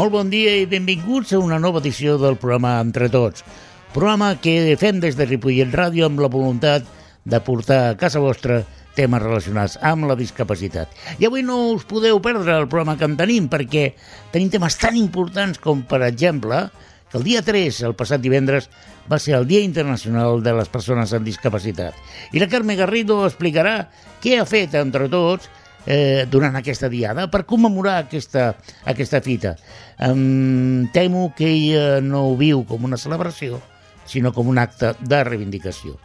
Molt bon dia i benvinguts a una nova edició del programa Entre Tots. Programa que fem des de Ripollet Ràdio amb la voluntat de portar a casa vostra temes relacionats amb la discapacitat. I avui no us podeu perdre el programa que en tenim, perquè tenim temes tan importants com, per exemple, que el dia 3, el passat divendres, va ser el Dia Internacional de les Persones amb Discapacitat. I la Carme Garrido explicarà què ha fet Entre Tots durant aquesta diada per commemorar aquesta fita. Temo que ella no ho viu com una celebració, sinó com un acte de reivindicació.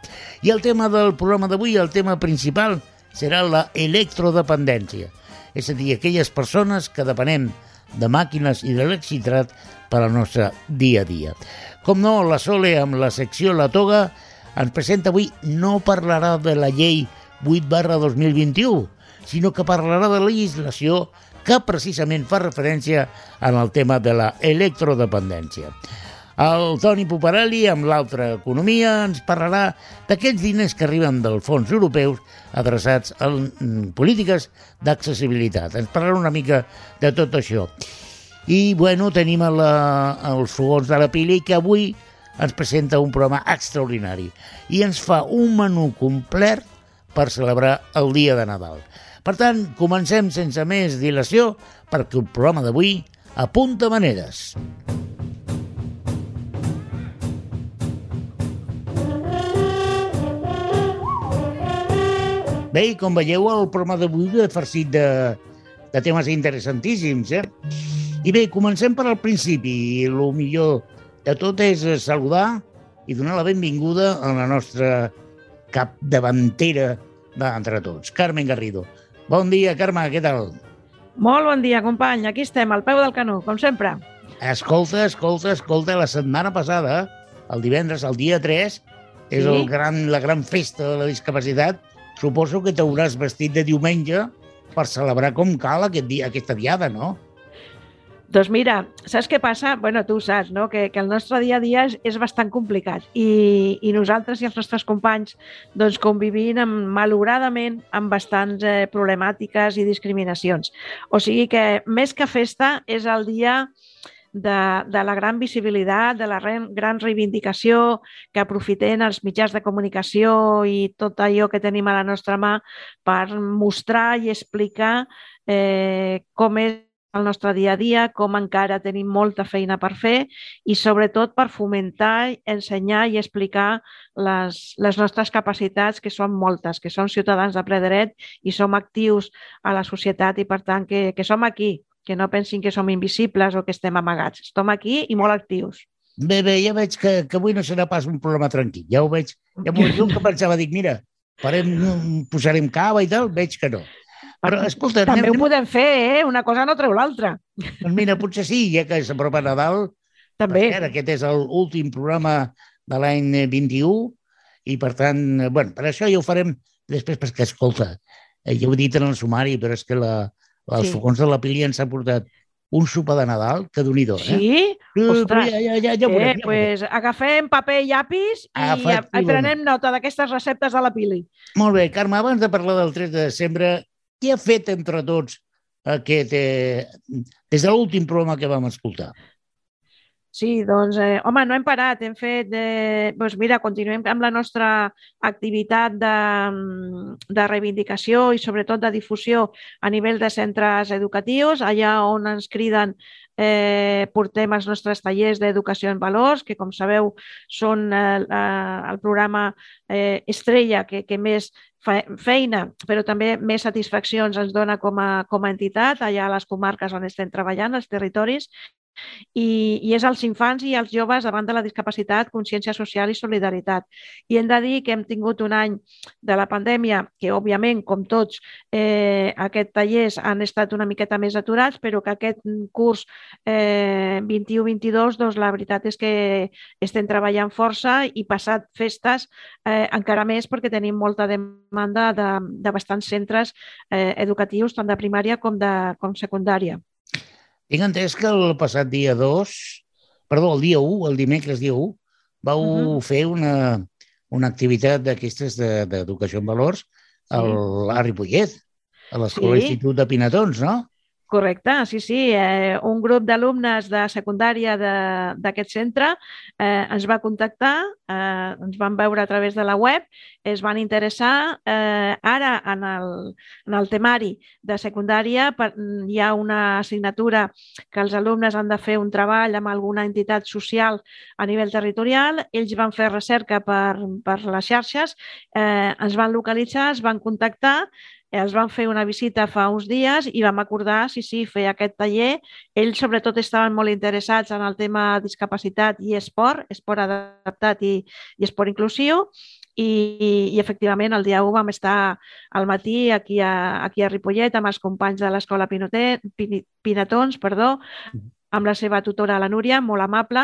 I el tema del programa d'avui, el tema principal, serà la electrodependència, és a dir, aquelles persones que depenem de màquines i d'electricitat per al nostre dia a dia. Com no, la Sole, amb la secció La Toga, ens presenta avui, no parlarà de la llei 8/2021, sinó que parlarà de la legislació que precisament fa referència en el tema de la electrodependència. El Toni Puparelli, amb l'altra economia, ens parlarà d'aquests diners que arriben dels fons europeus adreçats a polítiques d'accessibilitat. Ens parlarà una mica de tot això. I, bueno, tenim els fogons de la Pili, que avui ens presenta un programa extraordinari i ens fa un menú complet per celebrar el dia de Nadal. Per tant, comencem sense més dilació, perquè el programa d'avui apunta maneres. Bé, com veieu, el programa d'avui és farcit de temes interessantíssims, I bé, comencem per al principi. El millor de tot és saludar i donar la benvinguda a la nostra capdavantera d'Entre Tots, Carmen Garrido. Bon dia, Carme, què tal? Molt bon dia, company. Aquí estem, al peu del canó, com sempre. Escolta, la setmana passada, el divendres, el dia 3, és Sí? la gran festa de la discapacitat. Suposo que t'hauràs vestit de diumenge per celebrar com cal aquesta diada, no? Doncs mira, saps què passa? Bueno, tu ho saps, no? Que el nostre dia a dia és bastant complicat i nosaltres i els nostres companys doncs, convivim malauradament amb bastants problemàtiques i discriminacions. O sigui que més que festa és el dia de la gran visibilitat, de la gran reivindicació, que aprofitem els mitjans de comunicació i tot allò que tenim a la nostra mà per mostrar i explicar com és el nostre dia a dia, com encara tenim molta feina per fer i sobretot per fomentar, ensenyar i explicar les nostres capacitats, que són moltes, que som ciutadans de ple dret i som actius a la societat i per tant que som aquí, que no pensin que som invisibles o que estem amagats. Estem aquí i molt actius. Bé, ja veig que avui no serà pas un programa tranquil. Ja ho veig. Jo que pensava, dic, mira, posarem cava i tal, veig que no. Però, escolta... També ho podem fer, Una cosa no treu l'altra. Doncs mira, potser sí, ja que s'apropa Nadal. També. Aquest és l'últim programa de l'any 21 i, per tant, bueno, per això ja ho farem després, perquè, escolta, ja ho he dit en el sumari, però és que els fogons de la Pili ens ha portat un sopar de Nadal que Déu-n'hi-do, Sí? Ostres. Ja ho veurem. Doncs agafem paper i llapis i prenem nota d'aquestes receptes de la Pili. Molt bé, Carme, abans de parlar del 3 de desembre, què ha fet Entre Tots des de l'últim programa que vam escoltar? Sí, doncs, home, no hem parat, hem fet, doncs mira, continuem amb la nostra activitat de reivindicació i sobretot de difusió a nivell de centres educatius, allà on ens criden portem els nostres tallers d'educació en valors, que com sabeu són el programa estrella que més feina, però també més satisfaccions ens dona com a entitat allà a les comarques on estem treballant, als territoris, i és als infants i als joves davant de la discapacitat, consciència social i solidaritat. I hem de dir que hem tingut un any de la pandèmia que, òbviament, com tots, aquests tallers han estat una miqueta més aturats, però que aquest curs 21-22, doncs la veritat és que estem treballant força i passat festes encara més perquè tenim molta demanda de bastants centres educatius, tant de primària com secundària. Tinc entès que el passat el dia 1, el dimecres dia 1, vau fer una activitat d'aquestes d'educació en valors a Ripollet, a l'Escola Institut de Pinatons, no? Correcte, sí, sí. Un grup d'alumnes de secundària d'aquest centre ens va contactar, ens van veure a través de la web, es van interessar. Ara, en el temari de secundària, hi ha una assignatura que els alumnes han de fer un treball amb alguna entitat social a nivell territorial. Ells van fer recerca per les xarxes, ens van localitzar, es van contactar, els vam fer una visita fa uns dies i vam acordar, sí, fer aquest taller. Ells sobretot estaven molt interessats en el tema discapacitat i esport adaptat i esport inclusiu. I efectivament el dia 1 vam estar al matí aquí a Ripollet amb els companys de l'escola Pinatons, amb la seva tutora, la Núria, molt amable,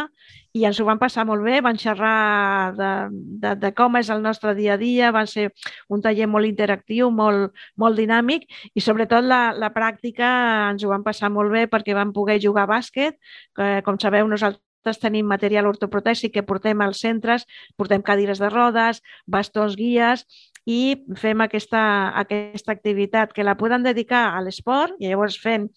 i ens ho van passar molt bé, van xerrar de com és el nostre dia a dia, van ser un taller molt interactiu, molt dinàmic, i sobretot la pràctica ens ho van passar molt bé perquè vam poder jugar a bàsquet. Com sabeu, nosaltres tenim material ortoprotèsic que portem als centres, portem cadires de rodes, bastons guies, i fem aquesta activitat que la podem dedicar a l'esport, i llavors fem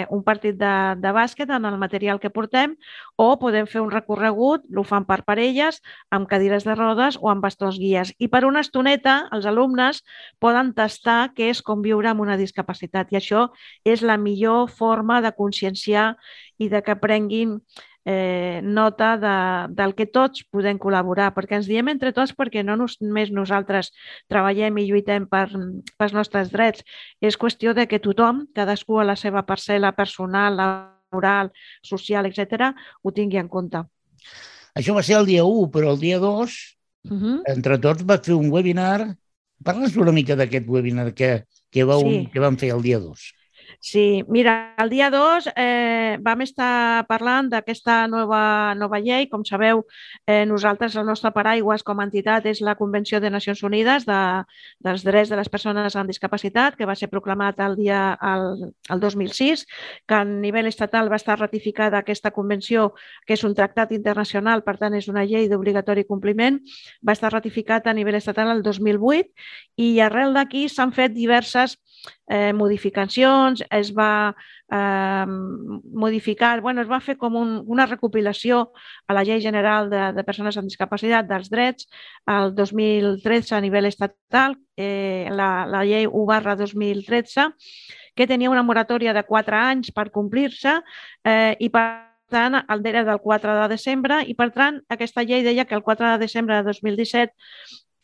un partit de bàsquet en el material que portem, o podem fer un recorregut, ho fan per parelles, amb cadires de rodes o amb bastons guies. I per una estoneta els alumnes poden tastar què és conviure amb una discapacitat, i això és la millor forma de conscienciar i de que prenguin nota del que tots podem col·laborar, perquè ens diem entre tots, perquè no només nosaltres treballem i lluitem pels nostres drets, és qüestió de que tothom, cadascú a la seva parcel·la personal, laboral, social, etc., ho tingui en compte. Això va ser el dia 1, però el dia 2, entre tots, va fer un webinar. Parles una mica d'aquest webinar que vam fer el dia 2. Sí, mira, el dia 2 vam estar parlant d'aquesta nova llei. Com sabeu, nosaltres, el nostre paraigües com a entitat és la Convenció de Nacions Unides dels Drets de les Persones amb Discapacitat, que va ser proclamat el 2006, que a nivell estatal va estar ratificada aquesta convenció, que és un tractat internacional, per tant és una llei d'obligatori compliment, va estar ratificat a nivell estatal el 2008, i arrel d'aquí s'han fet diverses modificacions. Es va modificar, es va fer com una recopilació a la Llei General de Persones amb Discapacitat dels Drets el 2013 a nivell estatal, la Llei 1/2013, que tenia una moratòria de 4 anys per complir-se, i per tant, el era del 4 de desembre, i per tant aquesta llei deia que el 4 de desembre de 2017,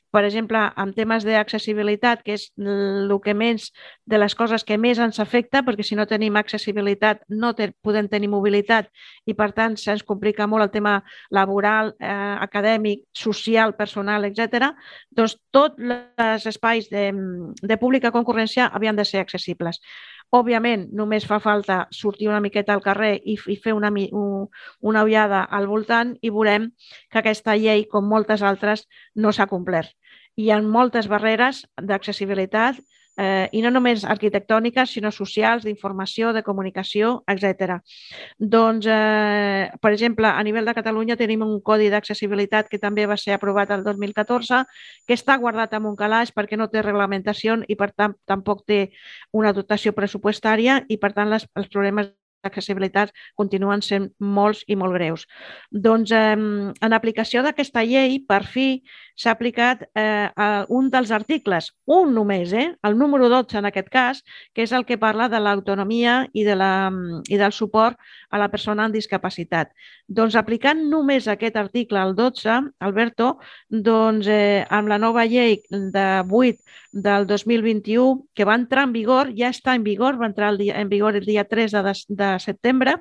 per exemple, en temes d'accessibilitat, que és de les coses que més ens afecta, perquè si no tenim accessibilitat no podem tenir mobilitat, i per tant se'ns complica molt el tema laboral, acadèmic, social, personal, etc. Doncs tots els espais de pública concurrència havien de ser accessibles. Òbviament, només fa falta sortir una miqueta al carrer i fer una ullada al voltant i veurem que aquesta llei, com moltes altres, no s'ha complert. Hi ha moltes barreres d'accessibilitat, i no només arquitectòniques, sinó socials, d'informació, de comunicació, etc. Doncs, per exemple, a nivell de Catalunya tenim un codi d'accessibilitat que també va ser aprovat el 2014, que està guardat en un calaix perquè no té reglamentació i, per tant, tampoc té una dotació pressupostària, i, per tant, els problemes d'accessibilitat continuen sent molts i molt greus. Doncs, en aplicació d'aquesta llei, per fi s'ha aplicat un dels articles, un només, el número 12 en aquest cas, que és el que parla de l'autonomia i del suport a la persona amb discapacitat. Doncs, aplicant només aquest article, el 12, Alberto, doncs, amb la nova llei de 8 del 2021, que va entrar en vigor, ja està en vigor, va entrar en vigor el dia 3 de setembre,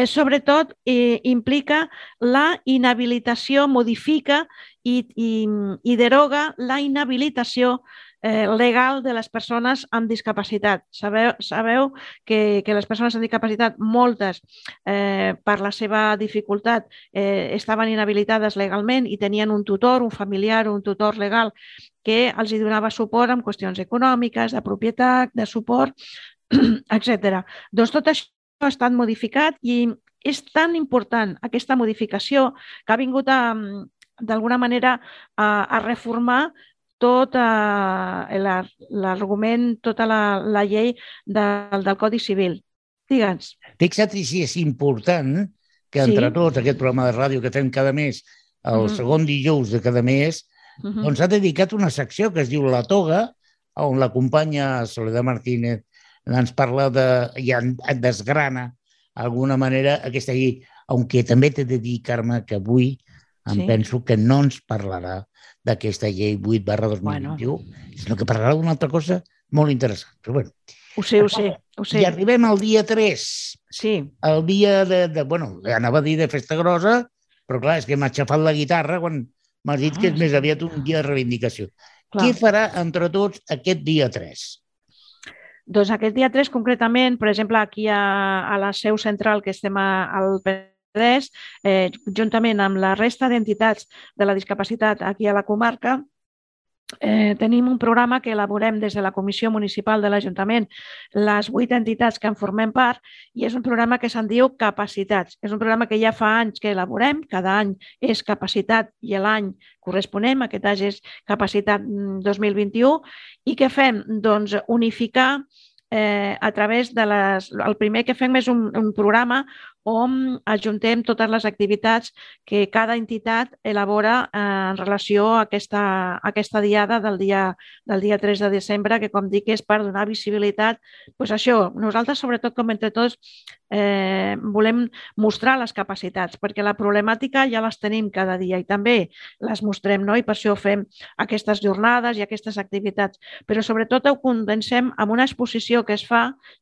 sobretot implica la inhabilitació, modifica i deroga la inhabilitació legal de les persones amb discapacitat. Sabeu que les persones amb discapacitat, moltes, per la seva dificultat, estaven inhabilitades legalment i tenien un tutor, un familiar, un tutor legal que els donava suport en qüestions econòmiques, de propietat, de suport, etc. Doncs tot això ha estat modificat, i és tan important aquesta modificació que ha vingut d'alguna manera a reformar tot l'argument, tota la llei del Codi Civil. Digue'ns. Fixa't si és important que entre tots, aquest programa de ràdio que fem cada mes, el segon dijous de cada mes, doncs ha dedicat una secció que es diu La Toga, on la companya Soledad Martínez ens parla i desgrana d'alguna manera aquesta llei, aunque també t'he de dir, Carme, que avui penso que no ens parlarà d'aquesta llei 8/2021, sinó que parlarà d'una altra cosa molt interessant. Però bueno, ho sé. I arribem al dia 3. Sí. El dia bueno, anava a dir de festa grossa, però clar, és que m'ha aixafat la guitarra quan m'has dit que és més aviat un dia de reivindicació. Què farà entre tots aquest dia 3? Doncs aquest dia 3, concretament, per exemple, aquí a la seu central, que estem al Penedès, juntament amb la resta d'entitats de la discapacitat aquí a la comarca, tenim un programa que elaborem des de la Comissió Municipal de l'Ajuntament, les 8 entitats que en formem part, i és un programa que se'n diu Capacitats. És un programa que ja fa anys que elaborem, cada any és capacitat i l'any corresponent, aquest any és capacitat 2021, i què fem? Doncs unificar a través de el primer que fem és un programa on ajuntem totes les activitats que cada entitat elabora en relació a aquesta diada del dia 3 de desembre, que com dic és per donar visibilitat. Doncs això, nosaltres sobretot com entre tots volem mostrar les capacitats, perquè la problemàtica ja les tenim cada dia i també les mostrem, no? I per això fem aquestes jornades i aquestes activitats, però sobretot ho condensem amb una exposició que es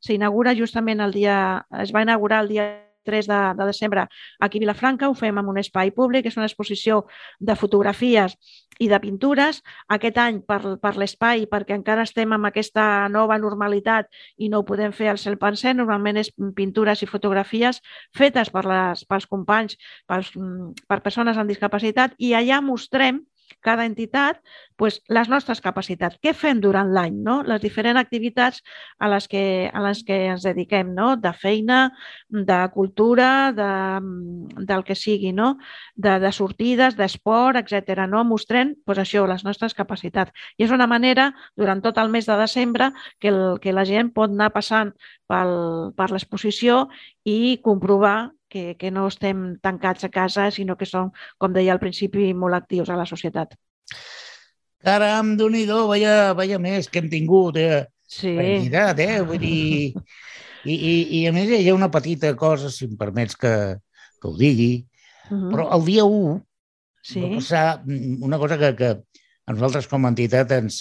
s'inaugura justament es va inaugurar el dia 3 de desembre aquí a Vilafranca, ho fem en un espai públic, és una exposició de fotografies i de pintures. Aquest any per l'espai, perquè encara estem amb aquesta nova normalitat i no ho podem fer al 100%, normalment és pintures i fotografies fetes pels companys, per persones amb discapacitat, i allà mostrem cada entitat les nostres capacitats. Què fem durant l'any? Les diferents activitats a les que ens dediquem, de feina, de cultura, del que sigui, de sortides, d'esport, etc. Mostrem això, les nostres capacitats. I és una manera, durant tot el mes de desembre, que la gent pot anar passant per l'exposició i comprovar que no estem tancats a casa, sinó que som, com deia al principi, molt actius a la societat. Caram, Déu-n'hi-do, vaya mes que hem tingut. Sí. Vull dir... I a més hi ha una petita cosa, si em permets que ho digui, però el dia 1 va passar una cosa que a nosaltres com a entitat ens...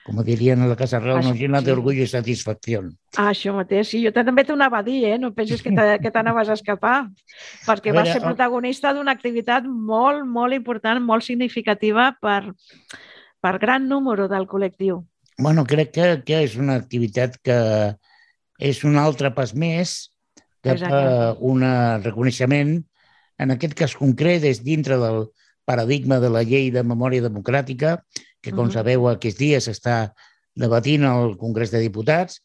com dirien a la Casa Real, nos llena d'orgull i satisfacció. Això mateix, sí, jo també t'ho anava a dir, no pensis que t'anaves a escapar, perquè vas ser protagonista d'una activitat molt, molt important, molt significativa per gran número del col·lectiu. Bueno, crec que és una activitat que és un altre pas més cap a un reconeixement, en aquest cas concret és dintre del paradigma de la llei de memòria democràtica, que, com sabeu, aquests dies s'està debatint al Congrés de Diputats.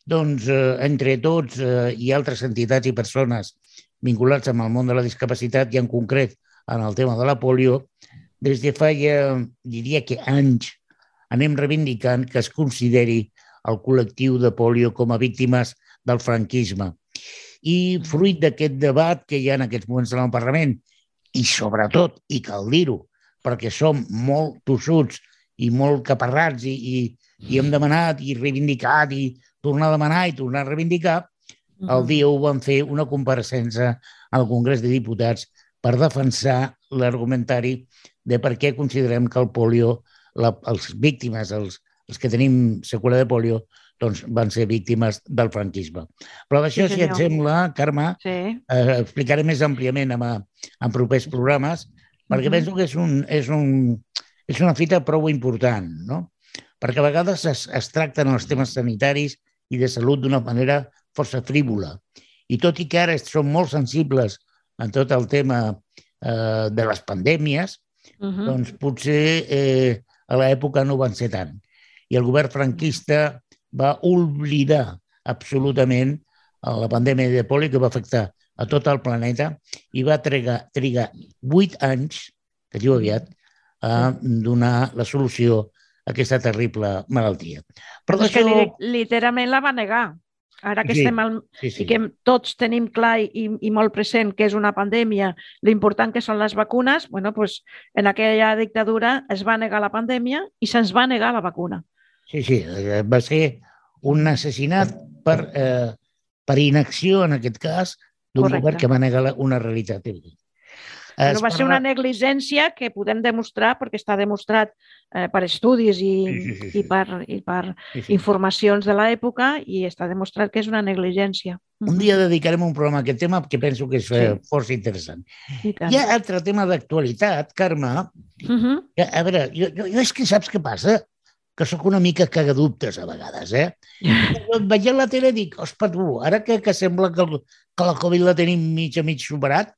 Doncs, entre tots i altres entitats i persones vinculats amb el món de la discapacitat i en concret en el tema de la polio, des de fa, diria que anys, anem reivindicant que es consideri el col·lectiu de polio com a víctimes del franquisme. I fruit d'aquest debat que hi ha en aquests moments en el Parlament, i sobretot, i cal dir-ho, perquè som molt tossuts i molt caparrats i hem demanat i reivindicat i tornar a demanar i tornar a reivindicar, el dia 1 vam fer una compareixença al Congrés de Diputats per defensar l'argumentari de per què considerem que el polio, les víctimes, els que tenim seqüela de polio, doncs van ser víctimes del franquisme. Però d'això, si et sembla, Carme, explicaré més àmpliament en propers programes, perquè penso que és una fita prou important, no? Perquè a vegades es tracten els temes sanitaris i de salut d'una manera força frívola. I tot i que ara som molt sensibles en tot el tema de les pandèmies, doncs potser a l'època no van ser tant. I el govern franquista va oblidar absolutament la pandèmia de polio que va afectar a tot el planeta i va trigar 8 anys, que diu aviat, a donar la solució a aquesta terrible malaltia. Però és que literalment la va negar. Ara que estem i que tots tenim clar i molt present que és una pandèmia, l'important que són les vacunes, doncs en aquella dictadura es va negar la pandèmia i se'ns va negar la vacuna. Sí, va ser un assassinat per inacció, en aquest cas, d'un govern que va negar una realitat. Va ser una negligència que podem demostrar, perquè està demostrat per estudis i per informacions de l'època, i està demostrat que és una negligència. Un dia dedicarem un programa a aquest tema, que penso que és força interessant. Hi ha altre tema d'actualitat, Carme. A veure, jo és que saps què passa? Que sóc una mica cagadubtes a vegades, Veient la tele dic, ospa, tu, ara que sembla que la Covid la tenim mig a mig superat,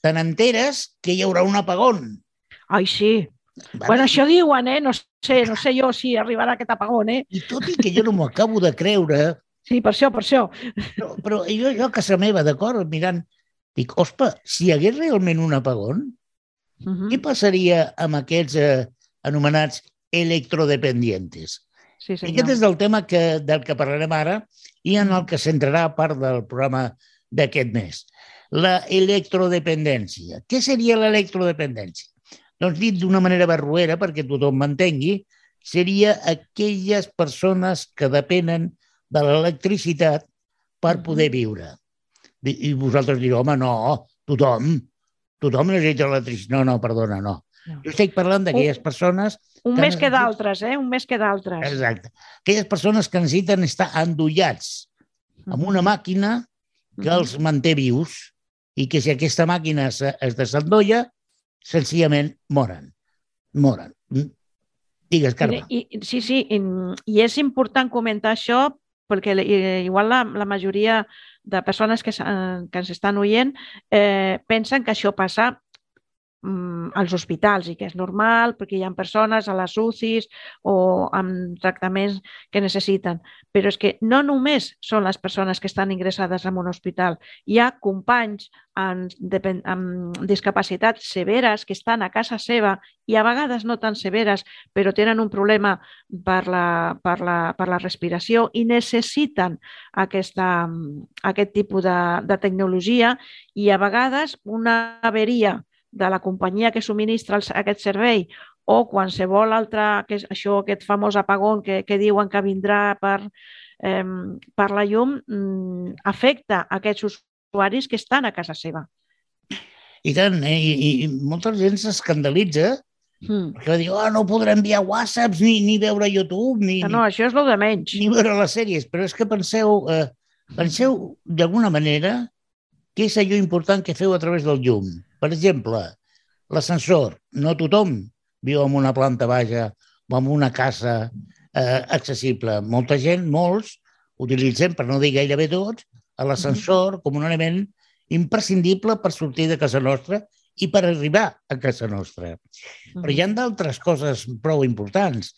te n'enteres que hi haurà un apagón. Ai, sí. Bueno, això diuen, no sé jo si arribarà aquest apagón, I tot i que jo no m'ho acabo de creure... Sí, per això. Però jo a casa meva, d'acord, mirant, dic, ospa, si hi hagués realment un apagón, què passaria amb aquests anomenats electrodependientes? Sí, senyor. Aquest és el tema del que parlarem ara i en el que centrarà part del programa d'aquest mes. La electrodependència. Què seria l'electrodependència? Doncs dit d'una manera barroera, perquè tothom m'entengui, seria aquelles persones que depenen de l'electricitat per poder viure. I vosaltres direu, home, no, tothom necessita l'electricitat. No, perdona, no. Jo estic parlant d'aquelles persones... Un més que d'altres, Un més que d'altres. Exacte. Aquelles persones que necessiten estar endollats amb una màquina que els manté vius i que si aquesta màquina es desendolla, senzillament moren. Digues, Carme. Sí, i és important comentar això perquè igual la majoria de persones que ens estan oient pensen que això passa als hospitals i que és normal perquè hi ha persones a les UCIs o amb tractaments que necessiten. Però és que no només són les persones que estan ingressades en un hospital. Hi ha companys amb discapacitats severes que estan a casa seva i a vegades no tan severes, però tenen un problema per la respiració i necessiten aquest tipus de tecnologia i a vegades una averia de la companyia que subministra aquest servei o qualsevol altre, aquest famós apagón que diuen que vindrà per la llum, afecta aquests usuaris que estan a casa seva. I tant, i molta gent s'escandalitza perquè va dir, no podré enviar whatsapps ni veure YouTube, no, això és el de menys. Ni veure les sèries, però és que penseu d'alguna manera què és allò important que feu a través del llum. Per exemple, l'ascensor. No tothom viu en una planta baixa o en una casa accessible. Molta gent, molts, utilitzem, per no dir gairebé tots, l'ascensor com un element imprescindible per sortir de casa nostra i per arribar a casa nostra. Però hi ha d'altres coses prou importants.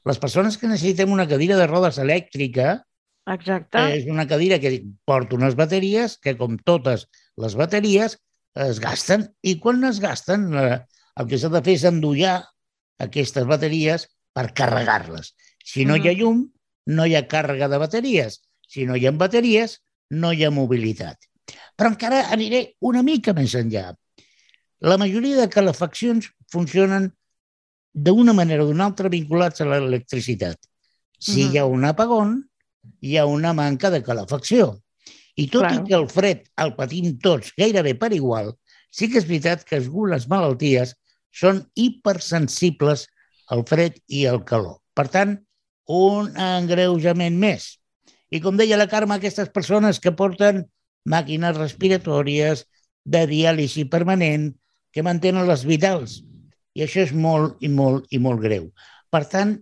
Les persones que necessitem una cadira de rodes elèctrica és una cadira que porta unes bateries que, com totes les bateries, es gasten, i quan es gasten el que s'ha de fer és endollar aquestes bateries per carregar-les. Si no hi ha llum, no hi ha càrrega de bateries. Si no hi ha bateries, no hi ha mobilitat. Però encara aniré una mica més enllà. La majoria de calefaccions funcionen d'una manera o d'una altra vinculats a l'electricitat. Si hi ha un apagón, hi ha una manca de calefacció. I tot i que el fred el patim tots gairebé per igual, sí que és veritat que algunes malalties són hipersensibles al fred i al calor. Per tant, un engreujament més. I com deia la Carme, aquestes persones que porten màquines respiratòries de diàlisi permanent, que mantenen les vitals. I això és molt i molt greu. Per tant,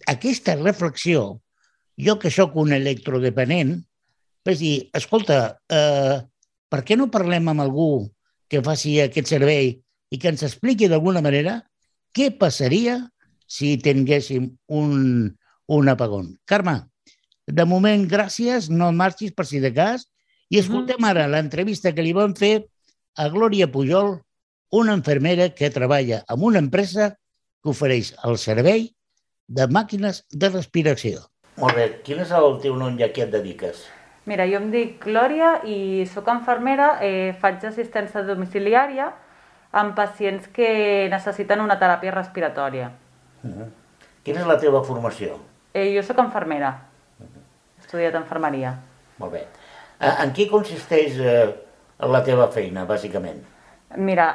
aquesta reflexió, jo que sóc un electrodependent, vaig dir, escolta, per què no parlem amb algú que faci aquest servei i que ens expliqui d'alguna manera què passaria si tinguéssim un apagón? Carme, de moment, gràcies, no marxis per si de cas, i escoltem ara l'entrevista que li vam fer a Glòria Pujol, una infermera que treballa en una empresa que ofereix el servei de màquines de respiració. Molt bé, quin és el teu nom i a què et dediques? Mira, jo em dic Glòria i sóc infermera, faig assistència domiciliària amb pacients que necessiten una teràpia respiratòria. Quina és la teva formació? Jo sóc infermera, he estudiat infermeria. Molt bé. En què consisteix la teva feina, bàsicament? Mira,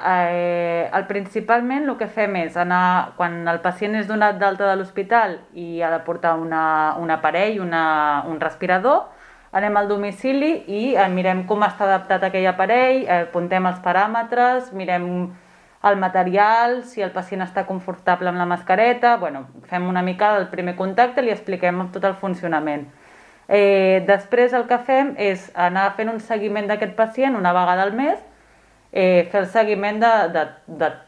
principalment el que fem és anar, quan el pacient és donat d'alta de l'hospital i ha de portar un aparell, un respirador, anem al domicili i mirem com està adaptat aquell aparell, apuntem els paràmetres, mirem el material, si el pacient està confortable amb la mascareta, fem una mica el primer contacte i li expliquem tot el funcionament. Després el que fem és anar fent un seguiment d'aquest pacient una vegada al mes, fer el seguiment de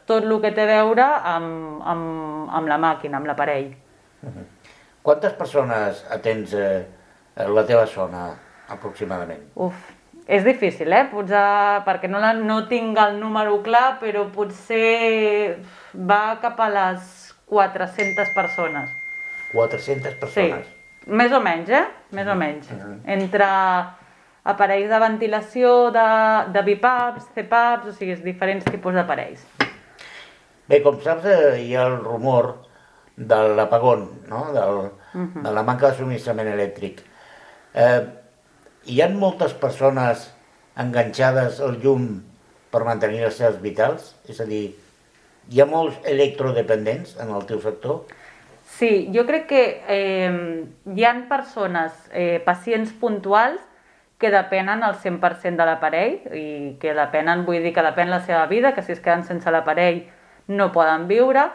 tot el que té a veure amb la màquina, amb l'aparell. Quantes persones atens la teva zona, aproximadament? És difícil, perquè no tinc el número clar, però potser va cap a les 400 persones. 400 persones? Sí, més o menys, Més o menys. Entre aparells de ventilació, de BiPAPs, CPAPs, o sigui, diferents tipus d'aparells. Bé, com saps, hi ha el rumor de l'apagón, no? De la manca de subministrament elèctric. Hi ha moltes persones enganxades al llum per mantenir les seves vitals? És a dir, hi ha molts electrodependents en el teu sector? Sí, jo crec que hi ha persones, pacients puntuals, que depenen al 100% de l'aparell, i que depenen, vull dir que depèn la seva vida, que si es queden sense l'aparell no poden viure.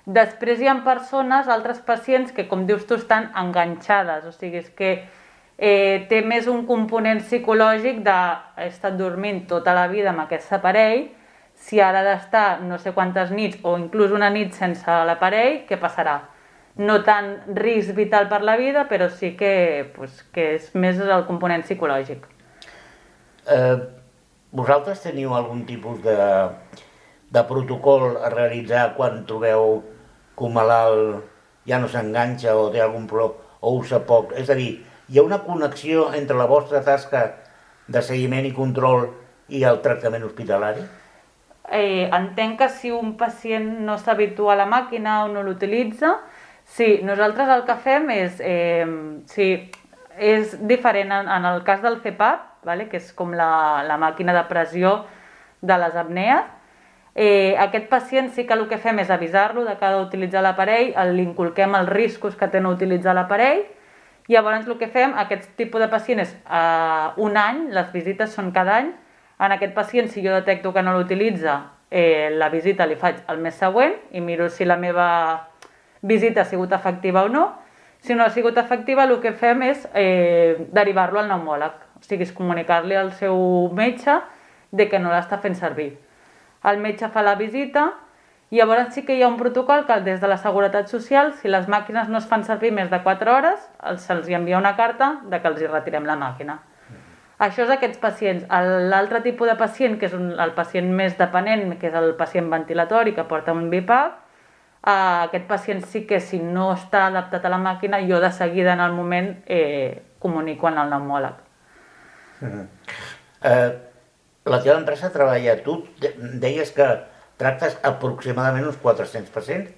Després hi ha persones, altres pacients, que com dius tu estan enganxades, o sigui, és que té més un component psicològic d'he estat dormint tota la vida amb aquest aparell, si ara ha d'estar no sé quantes nits o inclús una nit sense l'aparell, què passarà? No tant risc vital per la vida, però sí que és més el component psicològic. Vosaltres teniu algun tipus de protocol a realitzar quan trobeu que un malalt ja no s'enganxa o té algun problema o usa poc? És a dir, hi ha una connexió entre la vostra tasca de seguiment i control i el tractament hospitalari? Entenc que si un pacient no s'habitua a la màquina o no l'utilitza, sí, nosaltres el que fem és diferent en el cas del CPAP, que és com la màquina de pressió de les apnees. Aquest pacient sí que el que fem és avisar-lo de que ha d'utilitzar l'aparell, li inculquem els riscos que té no utilitzar l'aparell. Llavors el que fem, aquest tipus de pacient és un any, les visites són cada any. En aquest pacient, si jo detecto que no l'utilitza, la visita li faig el mes següent i miro si la meva visita ha sigut efectiva o no. Si no ha sigut efectiva, el que fem és derivar-lo al pneumòleg, o sigui, és comunicar-li al seu metge de que no l'està fent servir. El metge fa la visita. Llavors sí que hi ha un protocol que des de la Seguretat Social, si les màquines no es fan servir més de 4 hores, se'ls envia una carta de que els hi retirem la màquina. Això és aquests pacients. L'altre tipus de pacient, que és el pacient més dependent, que és el pacient ventilatori que porta un BiPAP, aquest pacient sí que si no està adaptat a la màquina, jo de seguida en el moment comunico en el pneumòleg. La teva empresa treballa, tu deies que tractes aproximadament uns 400 pacients,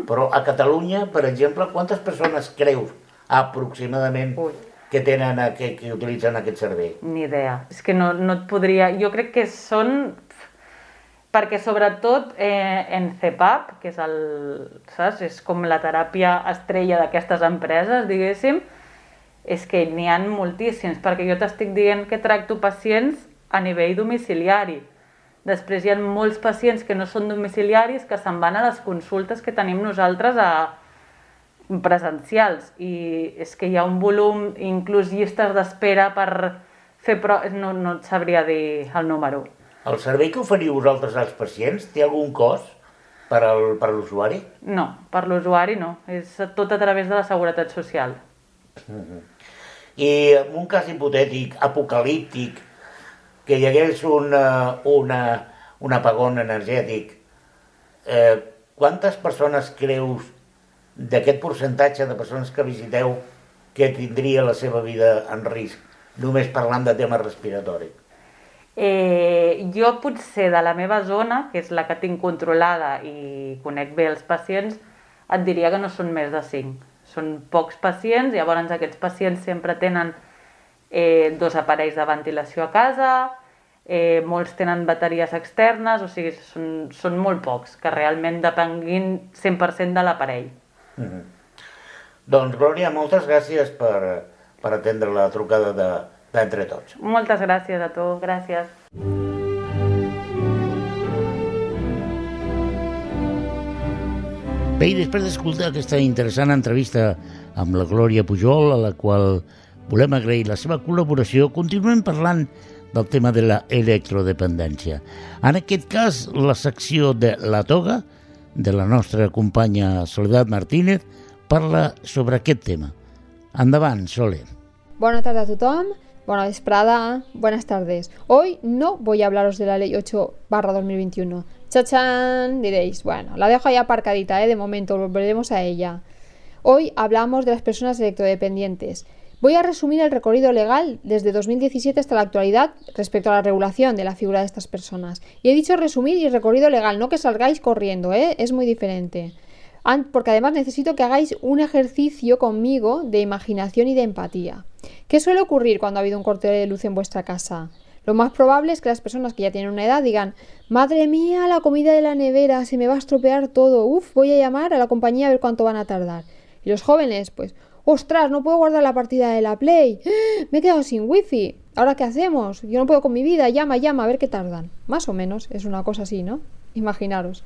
però a Catalunya, per exemple, quantes persones creus aproximadament que utilitzen aquest servei? Ni idea, és que no et podria... Jo crec que són... Perquè sobretot en CPAP, que és com la teràpia estrella d'aquestes empreses, diguéssim, és que n'hi ha moltíssims, perquè jo t'estic dient que tracto pacients a nivell domiciliari. Després hi ha molts pacients que no són domiciliaris que se'n van a les consultes que tenim nosaltres presencials i és que hi ha un volum, inclús llistes d'espera per fer proves, no et sabria dir el número. El servei que oferiu vosaltres als pacients té algun cost per a l'usuari? No, per l'usuari no, és tot a través de la Seguretat Social. I en un cas hipotètic, apocalíptic, que hi hagués un apagón energètic, quantes persones creus d'aquest percentatge de persones que visiteu que tindria la seva vida en risc, només parlant de tema respiratori? Jo potser de la meva zona, que és la que tinc controlada i conec bé els pacients, et diria que no són més de 5. Són pocs pacients, llavors aquests pacients sempre tenen 2 aparells de ventilació a casa, molts tenen bateries externes, o sigui, són molt pocs, que realment depenguin 100% de l'aparell. Doncs, Glòria, moltes gràcies per atendre la trucada d'Entre Tots. Moltes gràcies a tu, gràcies. Bé, i després d'escoltar aquesta interessant entrevista amb la Glòria Pujol, a la qual volem agrair la seva col·laboració, continuem parlant del tema de l'electrodependència. En aquest cas, la secció de La Toga, de la nostra companya Soledad Martínez, parla sobre aquest tema. Endavant, Sole. Buenas tardes a tothom, buena vesprada, buenas tardes. Hoy no voy a hablaros de la ley 8/2021. ¡Chachán! Diréis, bueno, la dejo ahí aparcadita, de momento, volveremos a ella. Hoy hablamos de las personas electrodependientes. Voy a resumir el recorrido legal desde 2017 hasta la actualidad respecto a la regulación de la figura de estas personas. Y he dicho resumir y recorrido legal, no que salgáis corriendo, es muy diferente. Porque además necesito que hagáis un ejercicio conmigo de imaginación y de empatía. ¿Qué suele ocurrir cuando ha habido un corte de luz en vuestra casa? Lo más probable es que las personas que ya tienen una edad digan: madre mía, la comida de la nevera, se me va a estropear todo, voy a llamar a la compañía a ver cuánto van a tardar. Y los jóvenes, pues, ostras, no puedo guardar la partida de la Play, me he quedado sin wifi, ¿ahora qué hacemos? Yo no puedo con mi vida, llama, a ver qué tardan. Más o menos, es una cosa así, ¿no? Imaginaros.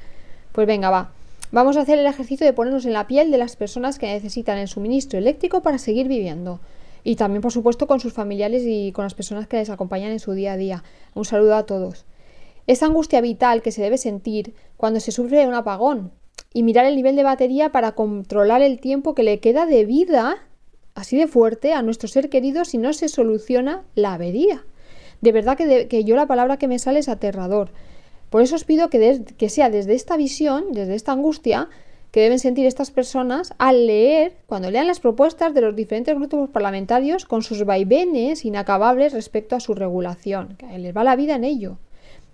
Pues venga, va. Vamos a hacer el ejercicio de ponernos en la piel de las personas que necesitan el suministro eléctrico para seguir viviendo. Y también, por supuesto, con sus familiares y con las personas que les acompañan en su día a día. Un saludo a todos. Esa angustia vital que se debe sentir cuando se sufre un apagón y mirar el nivel de batería para controlar el tiempo que le queda de vida, así de fuerte, a nuestro ser querido si no se soluciona la avería. De verdad que yo la palabra que me sale es aterrador. Por eso os pido que sea desde esta visión, desde esta angustia que deben sentir estas personas al leer, cuando lean las propuestas de los diferentes grupos parlamentarios con sus vaivenes inacabables respecto a su regulación, que les va la vida en ello.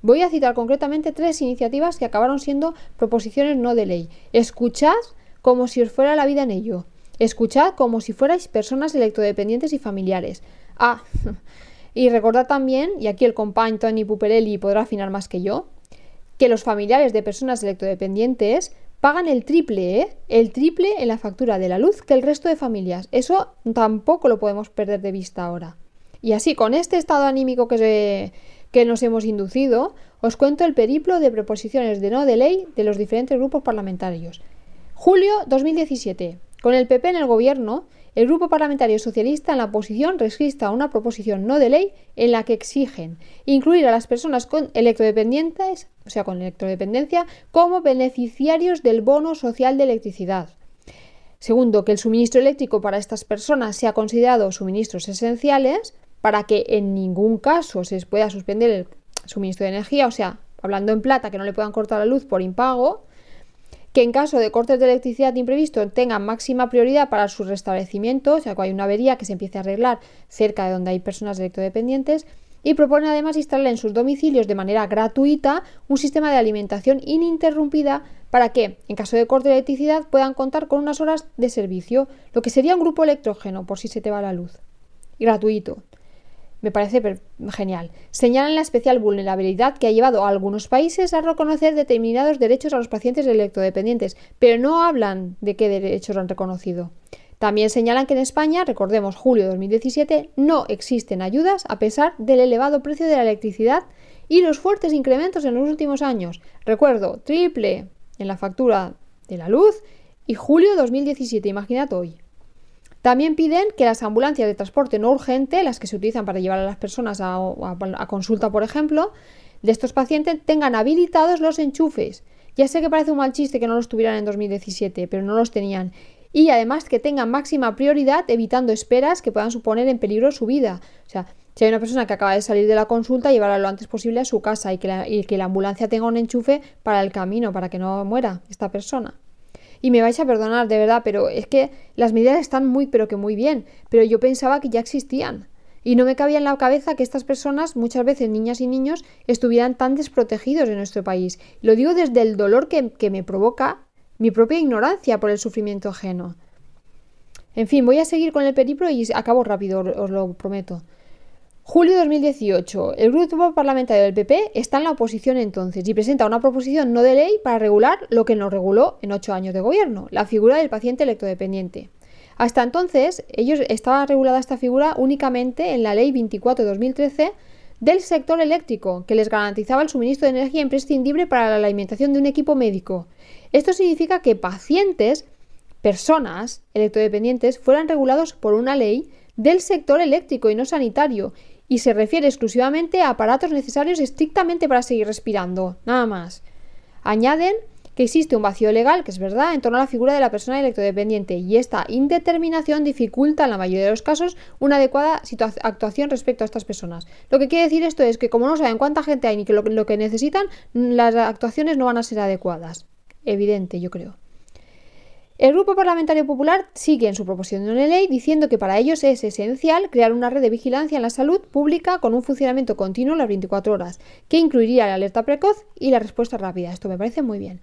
Voy a citar concretamente 3 iniciativas que acabaron siendo proposiciones no de ley. Escuchad como si os fuera la vida en ello. Escuchad como si fuerais personas electrodependientes y familiares. Y recordad también, y aquí el compañ Toni Puperelli podrá afinar más que yo, que los familiares de personas electrodependientes pagan el triple en la factura de la luz que el resto de familias. Eso tampoco lo podemos perder de vista ahora. Y así, con este estado anímico que nos hemos inducido, os cuento el periplo de proposiciones de no de ley de los diferentes grupos parlamentarios. Julio 2017. Con el PP en el gobierno, el Grupo Parlamentario Socialista en la oposición registra una proposición no de ley en la que exigen incluir a las personas con electrodependientes, o sea, con electrodependencia, como beneficiarios del bono social de electricidad. Segundo, que el suministro eléctrico para estas personas sea considerado suministros esenciales para que en ningún caso se les pueda suspender el suministro de energía, o sea, hablando en plata, que no le puedan cortar la luz por impago. Que en caso de cortes de electricidad imprevistos tengan máxima prioridad para su restablecimiento, o sea, que hay una avería que se empiece a arreglar cerca de donde hay personas electrodependientes, y propone además instalar en sus domicilios de manera gratuita un sistema de alimentación ininterrumpida para que, en caso de corte de electricidad, puedan contar con unas horas de servicio, lo que sería un grupo electrógeno por si se te va la luz. Y gratuito. Me parece genial. Señalan la especial vulnerabilidad que ha llevado a algunos países a reconocer determinados derechos a los pacientes electrodependientes, pero no hablan de qué derechos han reconocido. También señalan que en España, recordemos julio de 2017, no existen ayudas a pesar del elevado precio de la electricidad y los fuertes incrementos en los últimos años. Recuerdo, triple en la factura de la luz y julio de 2017, imaginad hoy. También piden que las ambulancias de transporte no urgente, las que se utilizan para llevar a las personas a consulta, por ejemplo, de estos pacientes, tengan habilitados los enchufes. Ya sé que parece un mal chiste que no los tuvieran en 2017, pero no los tenían. Y además que tengan máxima prioridad evitando esperas que puedan suponer en peligro su vida. O sea, Si hay una persona que acaba de salir de la consulta, llevarla lo antes posible a su casa y que la ambulancia tenga un enchufe para el camino, para que no muera esta persona. Y me vais a perdonar, de verdad, pero es que las medidas están pero que muy bien, pero yo pensaba que ya existían. Y no me cabía en la cabeza que estas personas, muchas veces niñas y niños, estuvieran tan desprotegidos en nuestro país. Lo digo desde el dolor que me provoca mi propia ignorancia por el sufrimiento ajeno. En fin, voy a seguir con el periplo y acabo rápido, os lo prometo. Julio de 2018. El grupo parlamentario del PP está en la oposición entonces y presenta una proposición no de ley para regular lo que no reguló en 8 años de gobierno, la figura del paciente electrodependiente. Hasta entonces, estaba regulada esta figura únicamente en la Ley 24 de 2013 del sector eléctrico, que les garantizaba el suministro de energía imprescindible para la alimentación de un equipo médico. Esto significa que pacientes, personas electrodependientes, fueran regulados por una ley del sector eléctrico y no sanitario, y se refiere exclusivamente a aparatos necesarios estrictamente para seguir respirando, nada más. Añaden que existe un vacío legal, que es verdad, en torno a la figura de la persona electrodependiente, y esta indeterminación dificulta en la mayoría de los casos una adecuada actuación respecto a estas personas. Lo que quiere decir esto es que como no saben cuánta gente hay ni que lo que necesitan, las actuaciones no van a ser adecuadas. Evidente, yo creo. El Grupo Parlamentario Popular sigue en su proposición de ley diciendo que para ellos es esencial crear una red de vigilancia en la salud pública con un funcionamiento continuo las 24 horas, que incluiría la alerta precoz y la respuesta rápida. Esto me parece muy bien.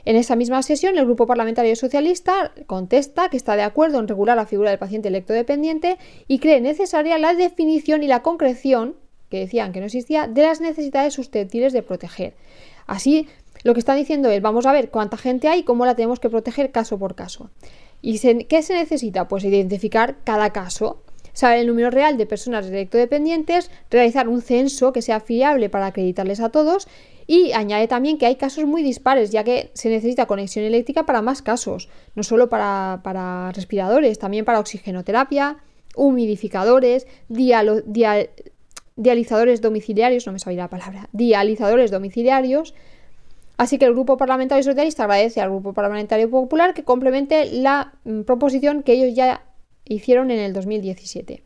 En esa misma sesión, el Grupo Parlamentario Socialista contesta que está de acuerdo en regular la figura del paciente electrodependiente y cree necesaria la definición y la concreción, que decían que no existía, de las necesidades susceptibles de proteger. Así, lo que está diciendo es, vamos a ver cuánta gente hay y cómo la tenemos que proteger caso por caso. ¿Y qué se necesita? Pues identificar cada caso, saber el número real de personas electrodependientes, realizar un censo que sea fiable para acreditarles a todos. Y añade también que hay casos muy dispares, ya que se necesita conexión eléctrica para más casos, no solo para respiradores, también para oxigenoterapia, humidificadores, dializadores domiciliarios, no me sabía la palabra, dializadores domiciliarios. Así que el Grupo Parlamentario Socialista agradece al Grupo Parlamentario Popular que complemente la proposición que ellos ya hicieron en el 2017.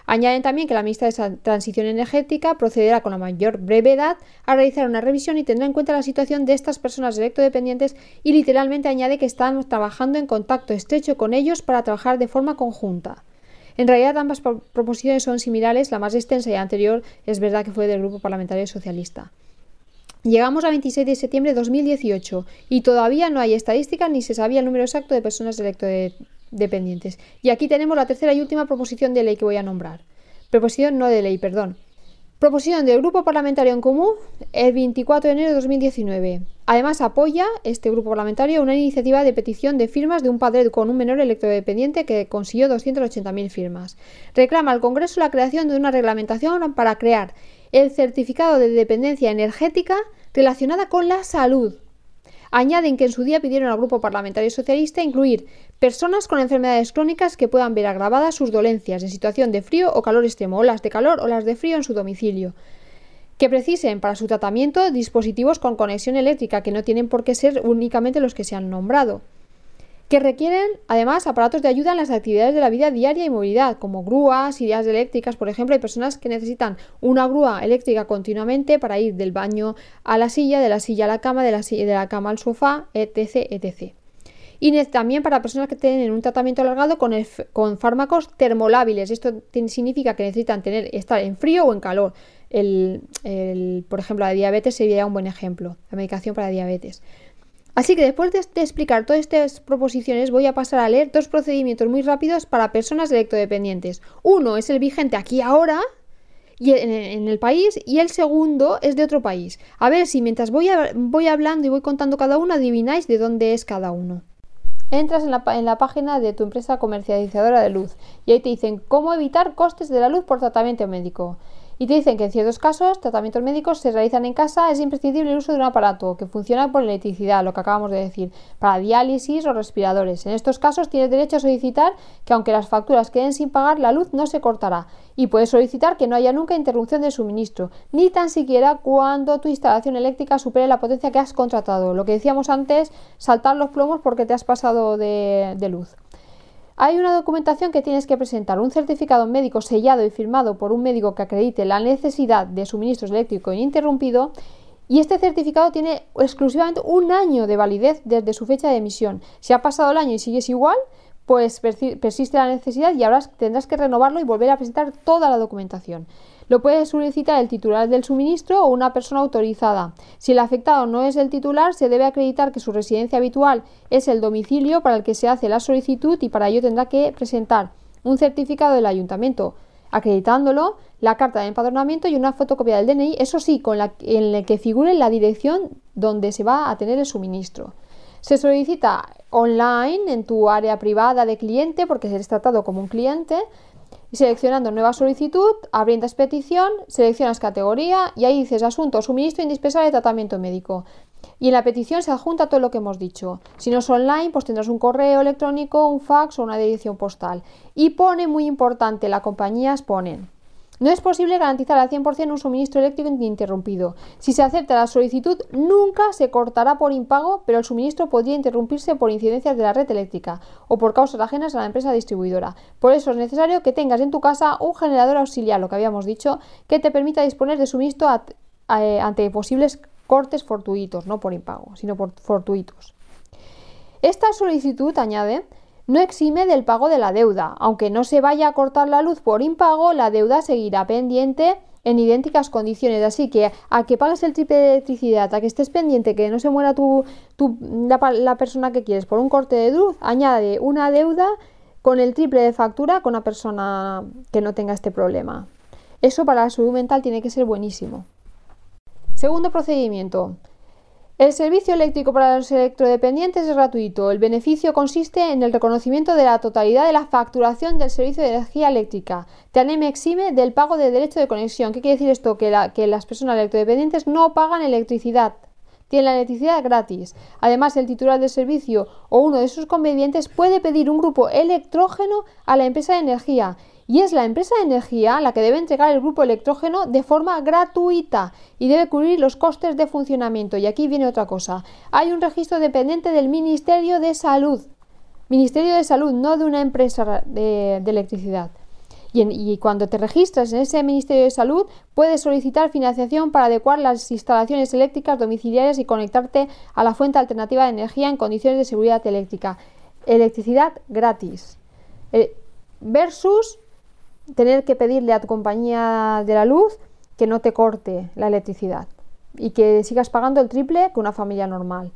Añaden también que la ministra de Transición Energética procederá con la mayor brevedad a realizar una revisión y tendrá en cuenta la situación de estas personas electrodependientes y literalmente añade que están trabajando en contacto estrecho con ellos para trabajar de forma conjunta. En realidad ambas proposiciones son similares, la más extensa y anterior es verdad que fue del Grupo Parlamentario Socialista. Llegamos a 26 de septiembre de 2018 y todavía no hay estadísticas ni se sabía el número exacto de personas electrodependientes. Y aquí tenemos la tercera y última proposición de ley que voy a nombrar. Proposición no de ley, perdón. Proposición del Grupo Parlamentario en Común el 24 de enero de 2019. Además apoya este grupo parlamentario una iniciativa de petición de firmas de un padre con un menor electrodependiente que consiguió 280.000 firmas. Reclama al Congreso la creación de una reglamentación para crear el certificado de dependencia energética relacionada con la salud. Añaden que en su día pidieron al Grupo Parlamentario Socialista incluir personas con enfermedades crónicas que puedan ver agravadas sus dolencias en situación de frío o calor extremo, olas de calor o las de frío en su domicilio, que precisen para su tratamiento dispositivos con conexión eléctrica, que no tienen por qué ser únicamente los que se han nombrado, que requieren además aparatos de ayuda en las actividades de la vida diaria y movilidad, como grúas, sillas eléctricas, por ejemplo. Hay personas que necesitan una grúa eléctrica continuamente para ir del baño a la silla, de la silla a la cama, de la cama al sofá, etc., etc. Y también para personas que tienen un tratamiento alargado con fármacos termolábiles. Esto significa que necesitan estar en frío o en calor. Por ejemplo, la diabetes sería un buen ejemplo, la medicación para diabetes. Así que después de explicar todas estas proposiciones voy a pasar a leer dos procedimientos muy rápidos para personas electrodependientes. Uno es el vigente aquí ahora y en el país y el segundo es de otro país. A ver si mientras voy hablando y voy contando cada uno adivináis de dónde es cada uno. Entras en la página de tu empresa comercializadora de luz y ahí te dicen cómo evitar costes de la luz por tratamiento médico. Y te dicen que en ciertos casos, tratamientos médicos se realizan en casa, es imprescindible el uso de un aparato que funciona por electricidad, lo que acabamos de decir, para diálisis o respiradores. En estos casos tienes derecho a solicitar que aunque las facturas queden sin pagar, la luz no se cortará. Y puedes solicitar que no haya nunca interrupción de suministro, ni tan siquiera cuando tu instalación eléctrica supere la potencia que has contratado. Lo que decíamos antes, saltar los plomos porque te has pasado de luz. Hay una documentación que tienes que presentar, un certificado médico sellado y firmado por un médico que acredite la necesidad de suministro eléctrico ininterrumpido, y este certificado tiene exclusivamente 1 año de validez desde su fecha de emisión. Si ha pasado el año y sigues igual, pues persiste la necesidad y ahora tendrás que renovarlo y volver a presentar toda la documentación. Lo puede solicitar el titular del suministro o una persona autorizada. Si el afectado no es el titular, se debe acreditar que su residencia habitual es el domicilio para el que se hace la solicitud y para ello tendrá que presentar un certificado del ayuntamiento acreditándolo, la carta de empadronamiento y una fotocopia del DNI, eso sí, en la que figure la dirección donde se va a tener el suministro. Se solicita online en tu área privada de cliente porque eres tratado como un cliente. Seleccionando nueva solicitud, abriendas petición, seleccionas categoría y ahí dices asunto, suministro indispensable de tratamiento médico. Y en la petición se adjunta todo lo que hemos dicho. Si no es online, pues tendrás un correo electrónico, un fax o una dirección postal. Y pone, muy importante, las compañías ponen: no es posible garantizar al 100% un suministro eléctrico ininterrumpido. Si se acepta la solicitud, nunca se cortará por impago, pero el suministro podría interrumpirse por incidencias de la red eléctrica o por causas ajenas a la empresa distribuidora. Por eso es necesario que tengas en tu casa un generador auxiliar, lo que habíamos dicho, que te permita disponer de suministro ante posibles cortes fortuitos, no por impago, sino por fortuitos. Esta solicitud, añade, no exime del pago de la deuda. Aunque no se vaya a cortar la luz por impago, la deuda seguirá pendiente en idénticas condiciones. Así que a que pagues el triple de electricidad, a que estés pendiente que no se muera la persona que quieres por un corte de luz, añade una deuda con el triple de factura con una persona que no tenga este problema. Eso para la salud mental tiene que ser buenísimo. Segundo procedimiento. El servicio eléctrico para los electrodependientes es gratuito. El beneficio consiste en el reconocimiento de la totalidad de la facturación del servicio de energía eléctrica. TANEM exime del pago de derecho de conexión. ¿Qué quiere decir esto? Que las personas electrodependientes no pagan electricidad. Tienen la electricidad gratis. Además, el titular del servicio o uno de sus convenientes puede pedir un grupo electrógeno a la empresa de energía. Y es la empresa de energía la que debe entregar el grupo electrógeno de forma gratuita y debe cubrir los costes de funcionamiento. Y aquí viene otra cosa. Hay un registro dependiente del Ministerio de Salud. Ministerio de Salud, no de una empresa de electricidad. Y cuando te registras en ese Ministerio de Salud, puedes solicitar financiación para adecuar las instalaciones eléctricas domiciliarias y conectarte a la fuente alternativa de energía en condiciones de seguridad eléctrica. Electricidad gratis. Versus tener que pedirle a tu compañía de la luz que no te corte la electricidad y que sigas pagando el triple que una familia normal.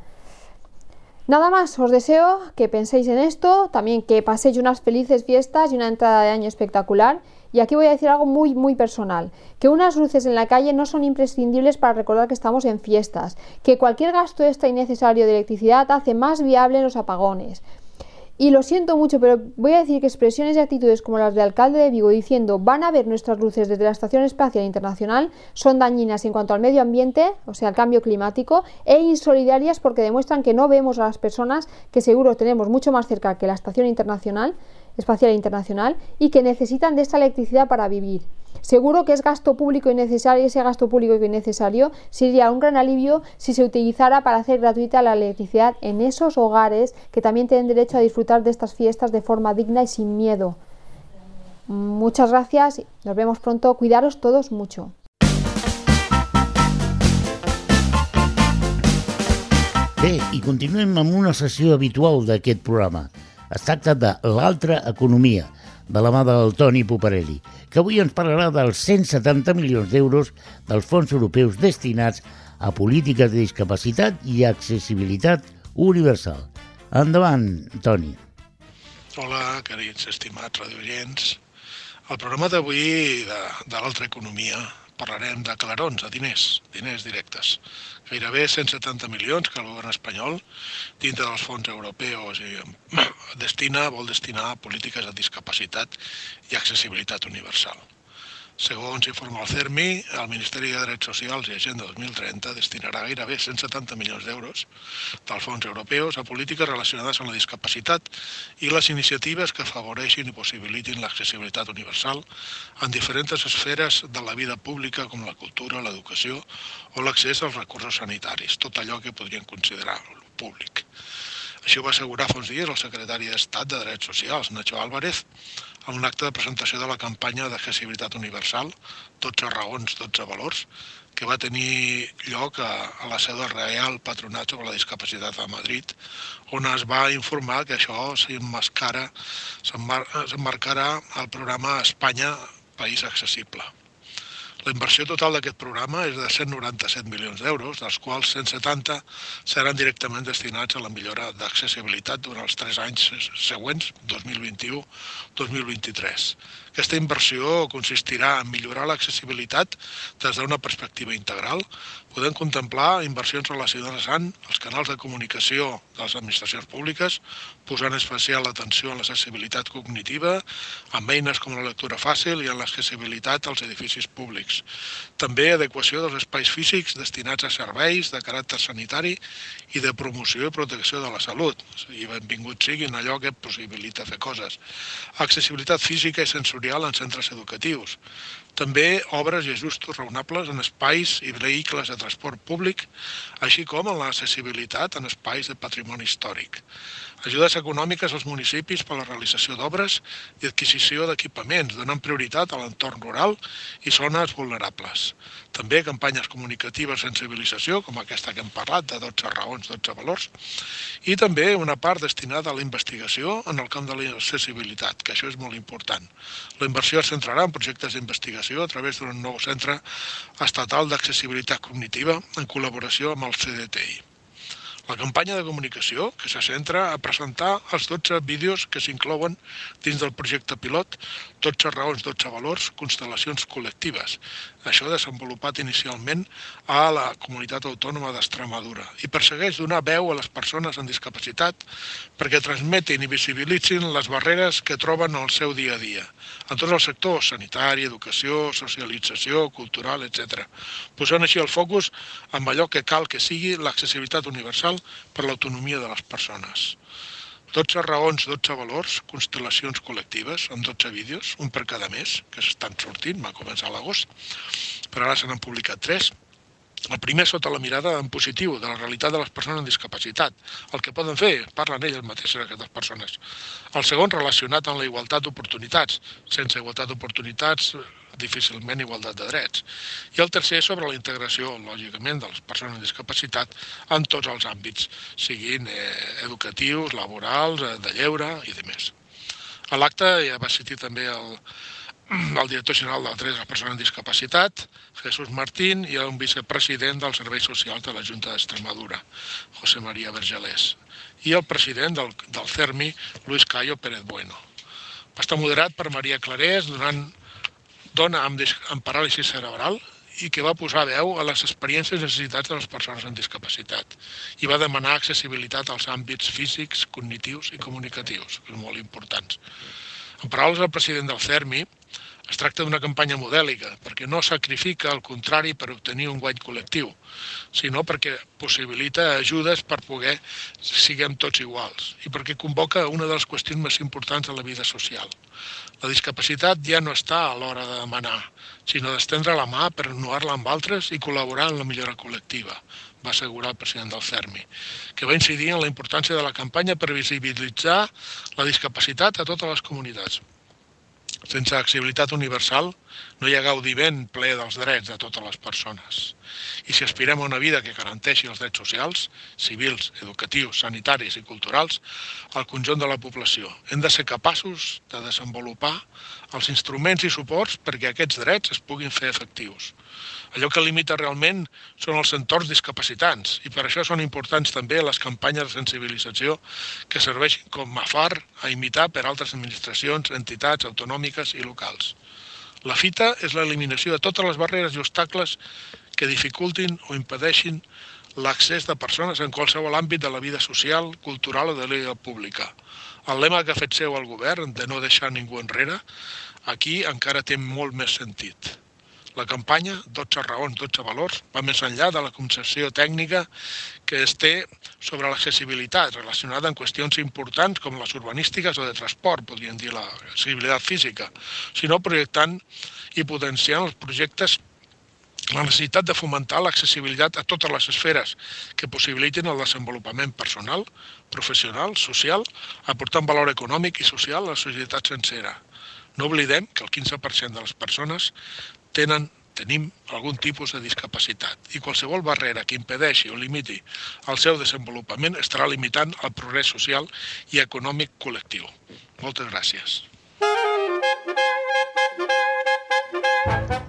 Nada más, os deseo que penséis en esto, también que paséis unas felices fiestas y una entrada de año espectacular. Y aquí voy a decir algo muy, muy personal, que unas luces en la calle no son imprescindibles para recordar que estamos en fiestas, que cualquier gasto extra innecesario de electricidad hace más viable los apagones. Y lo siento mucho, pero voy a decir que expresiones y actitudes como las del alcalde de Vigo diciendo van a ver nuestras luces desde la Estación Espacial Internacional son dañinas en cuanto al medio ambiente, o sea, al cambio climático, e insolidarias porque demuestran que no vemos a las personas que seguro tenemos mucho más cerca que la Estación Espacial Internacional y que necesitan de esta electricidad para vivir. Seguro que es gasto público innecesario, ese gasto público innecesario sería un gran alivio si se utilizara para hacer gratuita la electricidad en esos hogares que también tienen derecho a disfrutar de estas fiestas de forma digna y sin miedo. Muchas gracias, nos vemos pronto, cuidaros todos mucho. Bé, i continuem amb una sessió habitual d'aquest programa. Es tracta de l'altra economia, de la mà del Toni Puparelli, que avui ens parlarà dels 170 milions d'euros dels fons europeus destinats a polítiques de discapacitat i accessibilitat universal. Endavant, Toni. Hola, querits estimats radioients. Al programa d'avui de l'altra economia parlarem de clarons, de diners directes. Gairebé 170 milions que el govern espanyol, dintre dels fons europeus, vol destinar a polítiques de discapacitat i accessibilitat universal. Segons informa el CERMI, el Ministeri de Drets Socials i Agenda 2030 destinarà gairebé 170 milions d'euros dels fons europeus a polítiques relacionades amb la discapacitat i les iniciatives que afavoreixin i possibilitin l'accessibilitat universal en diferents esferes de la vida pública com la cultura, l'educació o l'accés als recursos sanitaris, tot allò que podrien considerar públic. Això ho va assegurar fa uns dies el secretari d'Estat de Drets Socials, Nacho Álvarez, en un acte de presentació de la campanya d'accessibilitat universal, 12 raons, 12 valors, que va tenir lloc a la seu del Real Patronat sobre la Discapacitat a Madrid, on es va informar que això s'emmarcarà al programa Espanya País Accessible. La inversió total d'aquest programa és de 197 milions d'euros, dels quals 170 seran directament destinats a la millora d'accessibilitat durant els 3 anys següents, 2021-2023. Aquesta inversió consistirà en millorar l'accessibilitat des d'una perspectiva integral. Podem contemplar inversions relacionades amb els canals de comunicació de les administracions públiques, posant especial atenció en l'accessibilitat cognitiva, amb eines com la lectura fàcil i en l'accessibilitat als edificis públics. També adequació dels espais físics destinats a serveis de caràcter sanitari i de promoció i protecció de la salut. I benvingut siguin allò que possibilita fer coses. Accessibilitat física i sensorial en centres educatius. També obres i ajustos raonables en espais i vehicles de transport públic, així com en l'accessibilitat en espais de patrimoni històric. Ajudes econòmiques als municipis per a la realització d'obres i adquisició d'equipaments, donant prioritat a l'entorn rural i zones vulnerables. També campanyes comunicatives de sensibilització, com aquesta que hem parlat, de 12 raons, 12 valors, i també una part destinada a la investigació en el camp de l'accessibilitat, que això és molt important. La inversió es centrarà en projectes d'investigació a través d'un nou centre estatal d'accessibilitat cognitiva en col·laboració amb el CDTI. La campanya de comunicació, que se centra a presentar els 12 vídeos que s'inclouen dins del projecte pilot 12 raons, 12 valors, constel·lacions col·lectives. Això desenvolupat inicialment a la Comunitat Autònoma d'Extremadura i persegueix donar veu a les persones amb discapacitat perquè transmetin i visibilitzin les barreres que troben en el seu dia a dia, en tots els sectors, sanitari, educació, socialització, cultural, etc., posant així el focus en allò que cal que sigui l'accessibilitat universal per l'autonomia de les persones. 12 raons, 12 valors, constel·lacions col·lectives, amb 12 vídeos, un per cada mes, que s'estan sortint, va començar a l'agost, però ara se n'han publicat 3. El primer sota la mirada en positiu de la realitat de les persones amb discapacitat, el que poden fer, parlen elles mateixes aquestes persones. El segon relacionat amb la igualtat d'oportunitats, sense igualtat d'oportunitats, difícilment igualtat de drets. I el tercer sobre la integració, lògicament, de les persones amb discapacitat en tots els àmbits, siguin educatius, laborals, de lleure i demés. A l'acte ja va assistir també el director general del dret de les persones amb discapacitat, Jesús Martín, i un vicepresident dels serveis socials de la Junta d'Extremadura, José María Vergelés, i el president del CERMI, Luis Cayo Pérez Bueno. Va estar moderat per Maria Clarés, dona amb paràlisi cerebral i que va posar veu a les experiències i necessitats de les persones amb discapacitat i va demanar accessibilitat als àmbits físics, cognitius i comunicatius, que són molt importants. En paraules del president del CERMI, es tracta d'una campanya modèlica, perquè no sacrifica el contrari per obtenir un guany col·lectiu, sinó perquè possibilita ajudes per poder siguem tots iguals i perquè convoca una de les qüestions més importants de la vida social. La discapacitat ja no està a l'hora de demanar, sinó d'estendre la mà per renovar-la amb altres i col·laborar en la millora col·lectiva, va assegurar el president del CERMI, que va incidir en la importància de la campanya per visibilitzar la discapacitat a totes les comunitats. Sense accessibilitat universal no hi ha gaudiment ple dels drets de totes les persones. I si aspirem a una vida que garanteixi els drets socials, civils, educatius, sanitaris i culturals al conjunt de la població, hem de ser capaços de desenvolupar els instruments i suports perquè aquests drets es puguin fer efectius. Allò que limita realment són els entorns discapacitants i per això són importants també les campanyes de sensibilització que serveixin com a far a imitar per altres administracions, entitats autonòmiques i locals. La fita és l'eliminació de totes les barreres i obstacles que dificultin o impedeixin l'accés de persones en qualsevol àmbit de la vida social, cultural o de la vida pública. El lema que ha fet seu el govern de no deixar ningú enrere, aquí encara té molt més sentit. La campanya, 12 raons, 12 valors, va més enllà de la concepció tècnica que es té sobre l'accessibilitat relacionada amb qüestions importants com les urbanístiques o de transport, podríem dir l'accessibilitat física, sinó projectant i potenciant els projectes La necessitat de fomentar l'accessibilitat a totes les esferes que possibilitin el desenvolupament personal, professional, social, aportant valor econòmic i social a la societat sencera. No oblidem que el 15% de les persones tenim algun tipus de discapacitat i qualsevol barrera que impedeixi o limiti el seu desenvolupament estarà limitant el progrés social i econòmic col·lectiu. Moltes gràcies.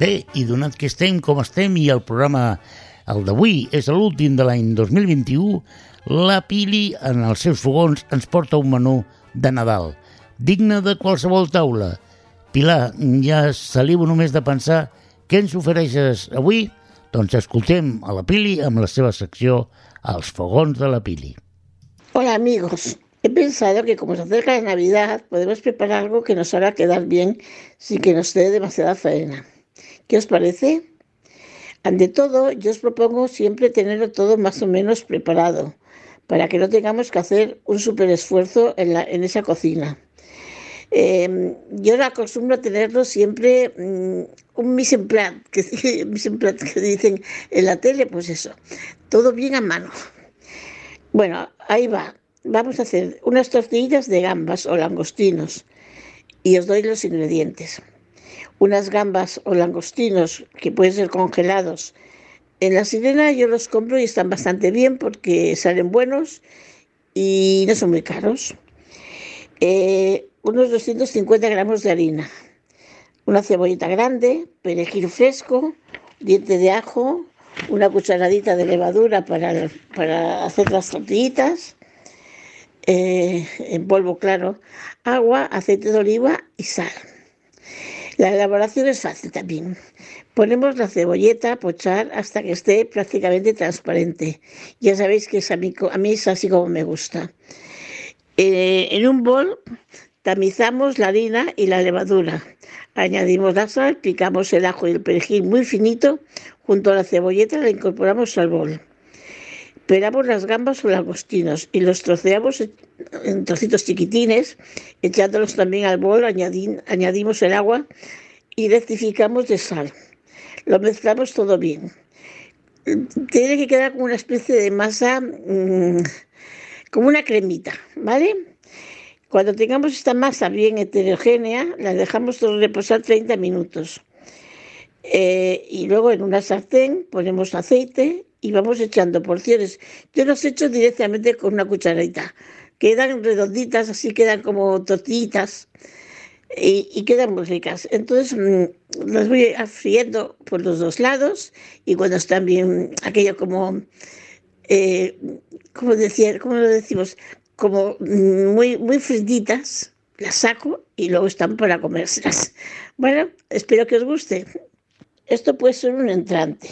Bé, i donat que estem com estem i el programa, el d'avui, és l'últim de l'any 2021, la Pili, en els seus fogons, ens porta un menú de Nadal, digne de qualsevol taula. Pilar, ja salivo només de pensar què ens ofereixes avui? Doncs escoltem a la Pili amb la seva secció Els fogons de la Pili. Hola amigos, he pensado que como se acerca la Navidad podemos preparar algo que nos haga quedar bien sin que nos dé demasiada faena. ¿Qué os parece? Ante todo, yo os propongo siempre tenerlo todo más o menos preparado, para que no tengamos que hacer un súper esfuerzo en esa cocina. Yo acostumbro a tenerlo siempre un mise en place, que dicen en la tele, pues eso, todo bien a mano. Bueno, ahí va. Vamos a hacer unas tortillas de gambas o langostinos y os doy los ingredientes. Unas gambas o langostinos que pueden ser congelados. En La Sirena yo los compro y están bastante bien porque salen buenos y no son muy caros. Unos 250 gramos de harina, una cebollita grande, perejil fresco, diente de ajo, una cucharadita de levadura para hacer las tortillitas, en polvo claro, agua, aceite de oliva y sal. La elaboración es fácil también. Ponemos la cebolleta a pochar hasta que esté prácticamente transparente. Ya sabéis que a mí es así como me gusta. En un bol tamizamos la harina y la levadura. Añadimos la sal, picamos el ajo y el perejil muy finito. Junto a la cebolleta la incorporamos al bol. Pelamos las gambas o langostinos y los troceamos en trocitos chiquitines, echándolos también al bol, añadimos el agua y rectificamos de sal. Lo mezclamos todo bien. Tiene que quedar como una especie de masa, como una cremita, ¿vale? Cuando tengamos esta masa bien heterogénea, la dejamos reposar 30 minutos. Y luego en una sartén ponemos aceite y vamos echando porciones. Yo los echo directamente con una cucharadita. Quedan redonditas, así quedan como tortillitas y quedan muy ricas. Entonces las voy friendo por los dos lados y cuando están bien, aquello como, ¿cómo lo decimos? Como muy frititas, las saco y luego están para comérselas. Bueno, espero que os guste. Esto puede ser un entrante.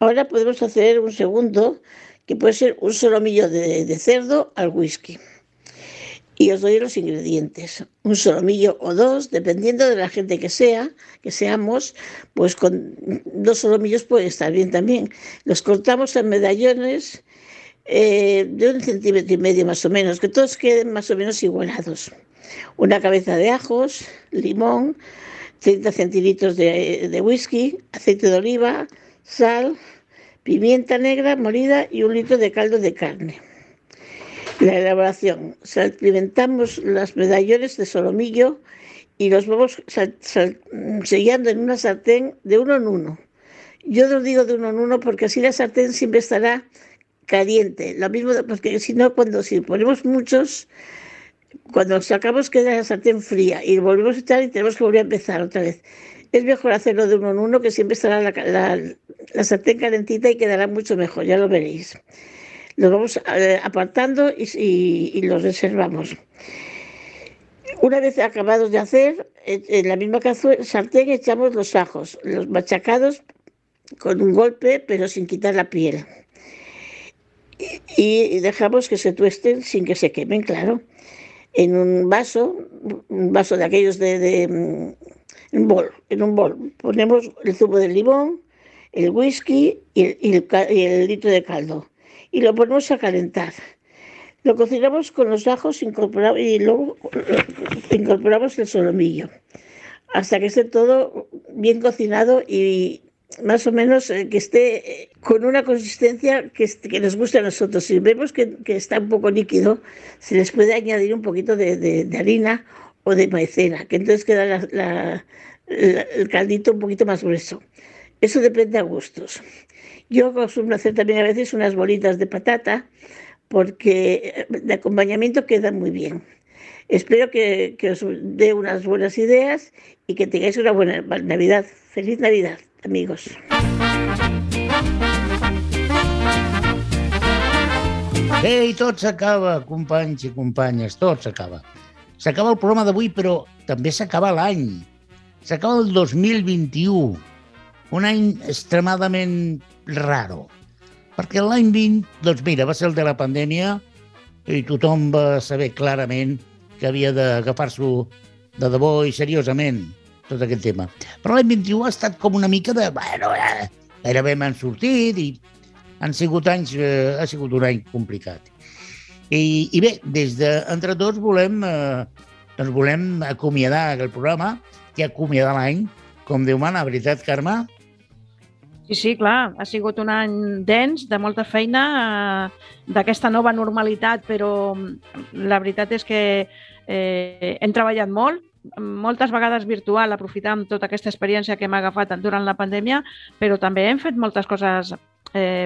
Ahora podemos hacer un segundo, que puede ser un solomillo de cerdo al whisky. Y os doy los ingredientes. Un solomillo o dos, dependiendo de la gente que seamos, pues con 2 solomillos puede estar bien también. Los cortamos en medallones de 1,5 centímetros más o menos, que todos queden más o menos igualados. Una cabeza de ajos, limón, 30 centilitros de whisky, aceite de oliva, sal, pimienta negra molida y 1 litro de caldo de carne. La elaboración: salpimentamos los medallones de solomillo y los vamos sellando en una sartén de uno en uno. Yo os digo de uno en uno porque así la sartén siempre estará caliente. Lo mismo, porque si no, si ponemos muchos, cuando sacamos queda la sartén fría y volvemos a echar y tenemos que volver a empezar otra vez. Es mejor hacerlo de uno en uno, que siempre estará la sartén calentita y quedará mucho mejor, ya lo veréis. Los vamos apartando y los reservamos. Una vez acabados de hacer, en la misma sartén echamos los ajos, los machacados con un golpe, pero sin quitar la piel. Y dejamos que se tuesten sin que se quemen, claro. En un vaso de aquellos en un bol, ponemos el zumo de limón, el whisky y el litro de caldo. Y lo ponemos a calentar. Lo cocinamos con los ajos y luego incorporamos el solomillo hasta que esté todo bien cocinado y más o menos que esté con una consistencia que nos guste a nosotros. Si vemos que está un poco líquido, se les puede añadir un poquito de harina o de maicena, que entonces queda el caldito un poquito más grueso. Eso depende a gustos. Yo acostumbro hacer también a veces unas bolitas de patata, porque de acompañamiento queda muy bien. Espero que os dé unas buenas ideas y que tengáis una buena Navidad. ¡Feliz Navidad, amigos! Ei, tot s'acaba, companys i companyes, tot s'acaba. S'acaba el programa d'avui, però també s'acaba l'any. S'acaba el 2021, un any extremadament raro, perquè l'any 20, doncs mira, va ser el de la pandèmia i tothom va saber clarament que havia d'agafar-s'ho de debò i seriosament, tot aquest tema. Però l'any 21 ha estat com una mica de... Bueno, gairebé m'han sortit i ha sigut un any complicat. I bé, des d'Entre Tots volem acomiadar el programa i acomiadar l'any, com Déu mana, veritat, Carme? Sí, clar, ha sigut un any dens, de molta feina, d'aquesta nova normalitat, però la veritat és que hem treballat molt, moltes vegades virtual, aprofitant tota aquesta experiència que hem agafat durant la pandèmia, però també hem fet moltes coses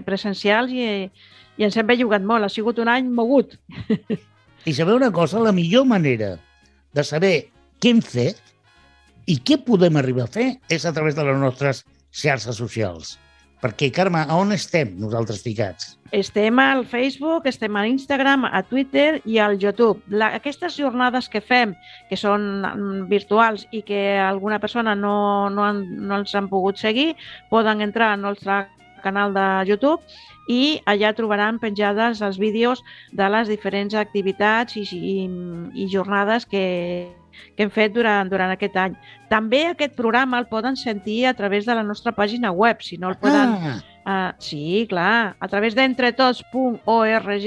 presencials i ens hem bellugat molt. Ha sigut un any mogut. I sabeu una cosa? La millor manera de saber què hem fet i què podem arribar a fer és a través de les nostres xarxes socials. Perquè, Carme, a on estem nosaltres ficats? Estem al Facebook, estem a Instagram, a Twitter i al YouTube. Aquestes jornades que fem, que són virtuals i que alguna persona no els han pogut seguir, poden entrar al nostre canal de YouTube i allà trobaran penjades els vídeos de les diferents activitats i jornades que hem fet durant aquest any. També aquest programa el poden sentir a través de la nostra pàgina web, si no el poden... Sí, clar, a través d'entretots.org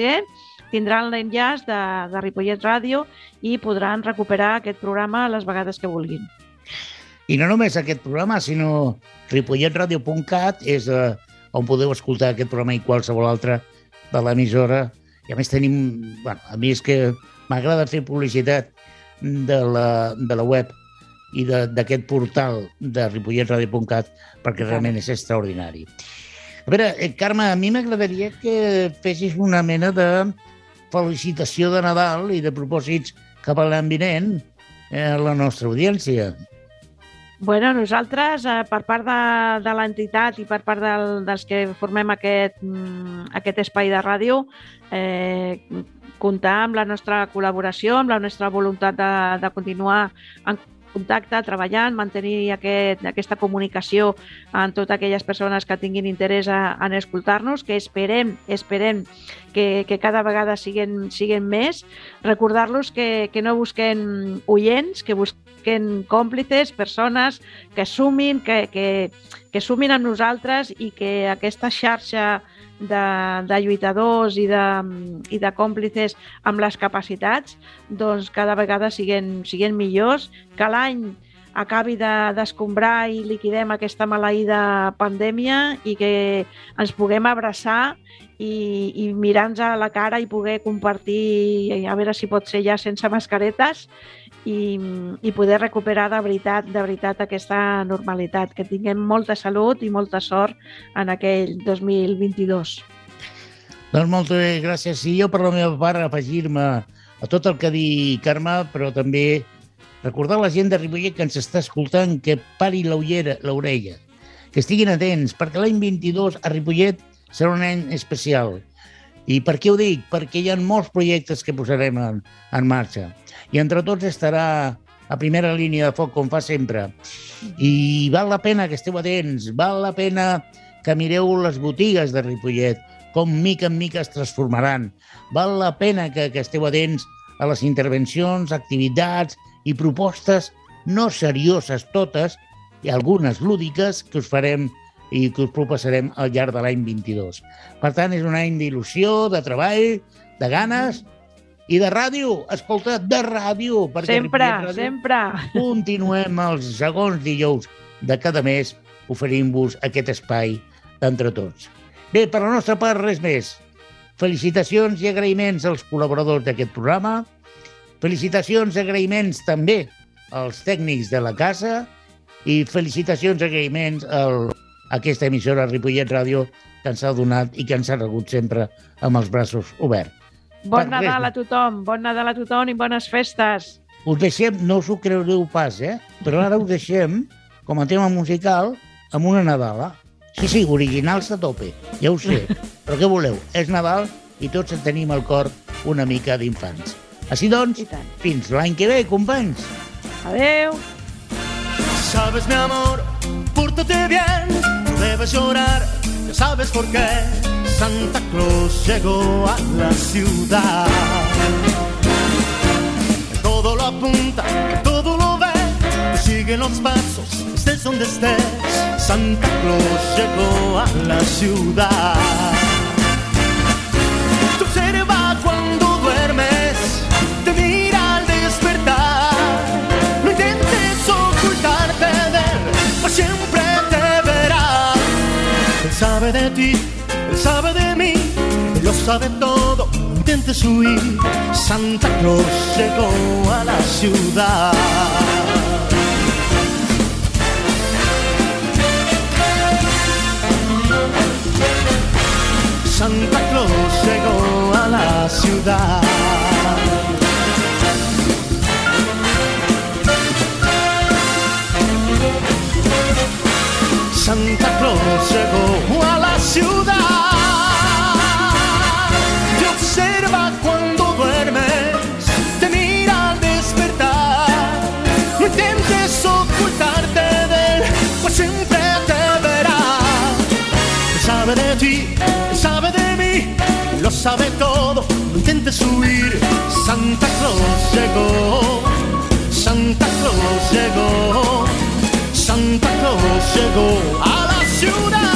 tindran l'enllaç de Ripollet Ràdio i podran recuperar aquest programa les vegades que vulguin. I no només aquest programa, sinó ripolletradio.cat és on podeu escoltar aquest programa i qualsevol altre de l'emissora. I a més tenim... Bueno, a mi és que m'agrada fer publicitat de la web i d'aquest portal de ripolletradio.cat perquè realment és extraordinari. A veure, Carme, a mi m'agradaria que fessis una mena de felicitació de Nadal i de propòsits cap a l'any vinent a la nostra audiència. Bueno, nosaltres, per part de l'entitat i per part dels que formem aquest espai de ràdio, comptar amb la nostra col·laboració, amb la nostra voluntat de continuar en contacte, treballant, mantenir aquesta comunicació amb totes aquelles persones que tinguin interès en escoltar-nos, que esperem que cada vegada siguin més. Recordar-los que no busquen oients, que busquen còmplices, persones que sumin, que sumin amb nosaltres i que aquesta xarxa de lluitadors i de còmplices amb les capacitats doncs cada vegada siguin millors, que l'any acabi d'escombrar i liquidem aquesta maleïda pandèmia i que ens puguem abraçar i mirar-nos a la cara i poder compartir, a veure si pot ser ja sense mascaretes i poder recuperar de veritat aquesta normalitat, que tinguem molta salut i molta sort en aquell 2022. Doncs moltes gràcies. I jo per la meva part afegir-me a tot el que ha dit Carme, però també recordar a la gent de Ripollet que ens està escoltant que pari l'orella, que estiguin atents, perquè l'any 22 a Ripollet serà un any especial. I per què ho dic? Perquè hi ha molts projectes que posarem en marxa. I Entre Tots estarà a primera línia de foc, com fa sempre. I val la pena que esteu atents, val la pena que mireu les botigues de Ripollet, com mica en mica es transformaran. Val la pena que esteu atents a les intervencions, activitats i propostes no serioses totes, i algunes lúdiques que us farem i que us proposarem al llarg de l'any 22. Per tant, és un any d'il·lusió, de treball, de ganes i de ràdio. Escolta, de ràdio. Sempre. Continuem els segons dijous de cada mes oferint-vos aquest espai d'entre tots. Bé, per la nostra part, res més. Felicitacions i agraïments als col·laboradors d'aquest programa. Felicitacions i agraïments també als tècnics de la casa i felicitacions i agraïments a aquesta emissora Ripollet Ràdio que ens ha donat i que ens ha rebut sempre amb els braços oberts. Bon Nadal a tothom i bones festes. Us deixem, no us ho creureu pas, però ara us deixem, com a tema musical, amb una Nadala. Sí, originals a tope, ja ho sé. Però què voleu? És Nadal i tots en tenim al cor una mica d'infants. Així doncs, fins l'any que ve, companys. Adeu. Sabes, mi amor, pórtate bien, no debes llorar, ya sabes por qué. Santa Claus llegó a la ciudad. Todo lo apunta, todo lo ve, te siguen los pasos, estés donde estés. Santa Claus llegó a la ciudad. Te observa cuando duermes, te mira al despertar. No intentes ocultarte de él, pues siempre te verá. Él sabe de ti, él sabe de mí, él lo sabe todo, no intentes huir. Santa Claus llegó a la ciudad. Santa Claus llegó a la ciudad. Santa Claus llegó a la ciudad. Te observa cuando duermes, te mira al despertar. No intentes ocultarte de él, pues siempre te verá. Él sabe de ti, él sabe de mí, él lo sabe todo, no intentes huir. Santa Claus llegó, Santa Claus llegó, Santa Claus llegó a la ciudad.